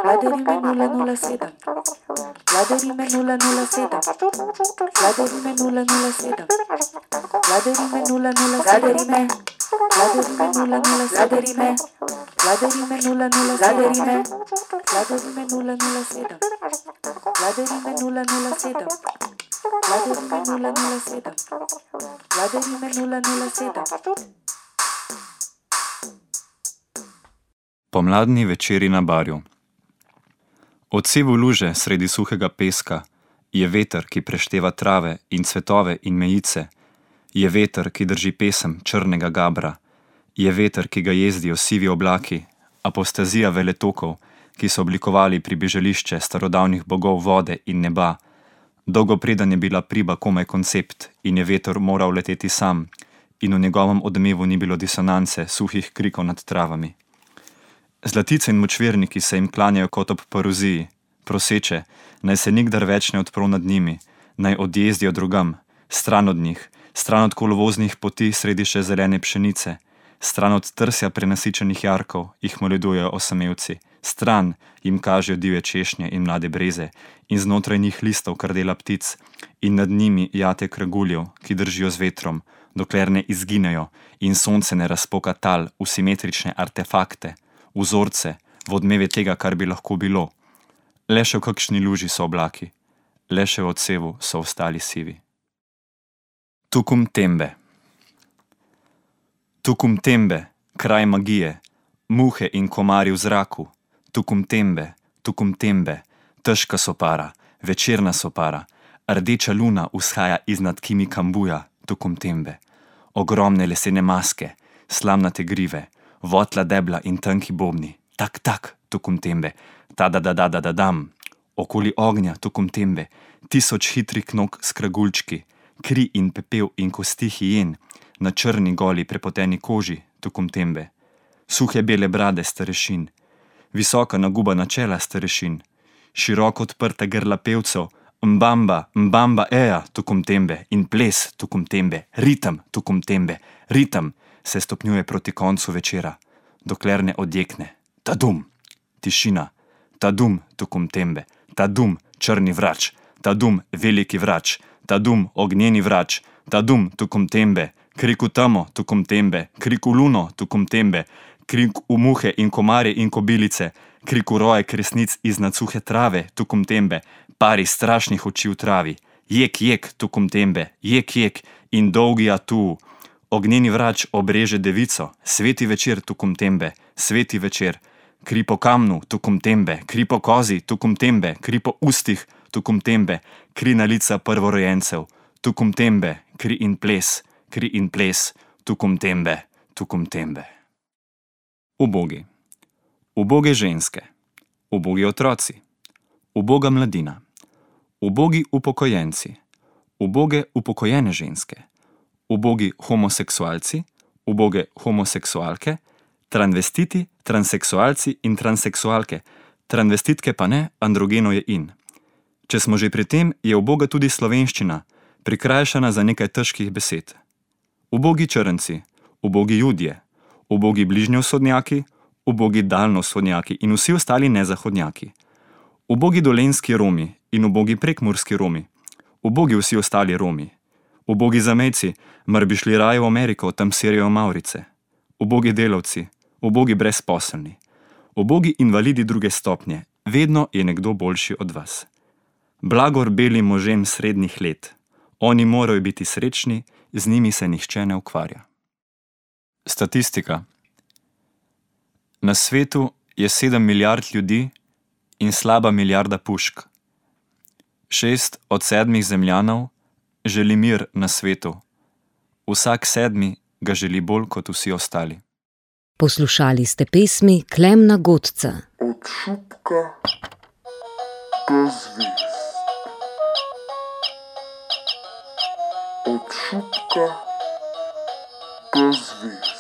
Vladarime 007. Vladarime 007. Vladarime 007. Vladarime 007. Vladarime 007. Vladarime 007. Vladarime 007. Vladarime 007. Vladarime 007. Vladarime 007. Pomladni večeri na barju. Odsevu luže sredi suhega peska je veter, ki prešteva trave in cvetove in mejice, je veter, ki drži pesem črnega gabra, je veter, ki ga jezdijo sivi oblaki, apostazija veletokov, ki so oblikovali pribežališče starodavnih bogov vode in neba. Dolgo preden je bila priba komaj koncept in je veter moral leteti sam in v njegovem odmevu ni bilo disonance suhih krikov nad travami. Zlatice in močverniki se jim klanjajo kot ob paruziji, proseče, naj se nikdar več ne odprl nad njimi, naj odjezdijo drugam, stran od njih, stran od kolovoznih poti sredi še zelene pšenice, stran od trsja prenasičenih jarkov, jih moledujejo osamevci, stran jim kažejo divje češnje in mlade breze in znotraj njih listov krdela ptic in nad njimi jate kraguljev, ki držijo z vetrom, dokler ne izginejo in sonce ne razpoka tal v simetrične artefakte, vzorce, v odmeve tega, kar bi lahko bilo. Le še v kakšni luži so oblaki, le še v odsevu so ostali sivi. Tukum Tembe. Tukum Tembe, kraj magije, muhe in komarji v zraku, Tukum Tembe, težka sopara, večerna sopara, rdeča luna vzhaja iznad Kimi Kambuja, Tukum Tembe, ogromne lesene maske, slamnate grive, votla debla in tanki bobni, tak, Tukum Tembe, ta-da-da-da-da-dam, okoli ognja, Tukum Tembe, 1000 hitrih nog s kragulčki, kri in pepel in kosti hijen, na črni goli prepoteni koži, Tukum Tembe, suhe bele brade starešin, visoka nagubana čela starešin, široko odprta grla pevcev, mbamba, eja, Tukum Tembe, in ples, Tukum Tembe, ritem, Tukum Tembe, ritem, se stopnjuje proti koncu večera, dokler ne odjekne. Tadum, tišina, tadum, Tukum Tembe, tadum, črni vrač, tadum, veliki vrač, tadum, ognjeni vrač, tadum, Tukum Tembe, krik v temo, Tukum Tembe, krik v luno, Tukum Tembe, krik v muhe in komarje in kobilice, krik v roje kresnic iznad suhe trave, Tukum Tembe, pari strašnih oči v travi, jek, Tukum Tembe, jek, in dolgi atu. Ognjeni vrač obreže devico, sveti večer, Tukum Tembe, sveti večer, kri po kamnu, Tukum Tembe, kri po kozi, Tukum Tembe, kri po ustih, Tukum Tembe, kri na lica prvorojencev, Tukum Tembe, kri in ples, Tukum Tembe, Tukum Tembe. Ubogi. Uboge ženske, ubogi otroci, uboga mladina, ubogi upokojenci, uboge upokojene ženske, ubogi homoseksualci, uboge homoseksualke, transvestiti, transseksualci in transseksualke, transvestitke pa ne, androgeno je in. Če smo že pri tem, je uboga tudi slovenščina, prikrajšana za nekaj težkih besed. Ubogi črnci, ubogi judje, ubogi bližnjevzhodnjaki, ubogi daljnovzhodnjaki in vsi ostali nezahodnjaki. Ubogi dolenjski Romi in ubogi prekmurski Romi, ubogi vsi ostali Romi. Ubogi zamejci, mar bi šli raje v Ameriko, tam serijo Mavrice. Ubogi delavci, ubogi brezposelni, ubogi invalidi druge stopnje, vedno je nekdo boljši od vas. Blagor belim možem srednjih let, oni morajo biti srečni, z njimi se nihče ne ukvarja. Statistika. Na svetu je 7 milijard ljudi in slaba milijarda pušk. 6 od 7 zemljanov želi mir na svetu. Vsak 7 ga želi bolj kot vsi ostali. Poslušali ste pesmi Klemna Godca. Od šupka do zvezd. Od šupka do zvezd.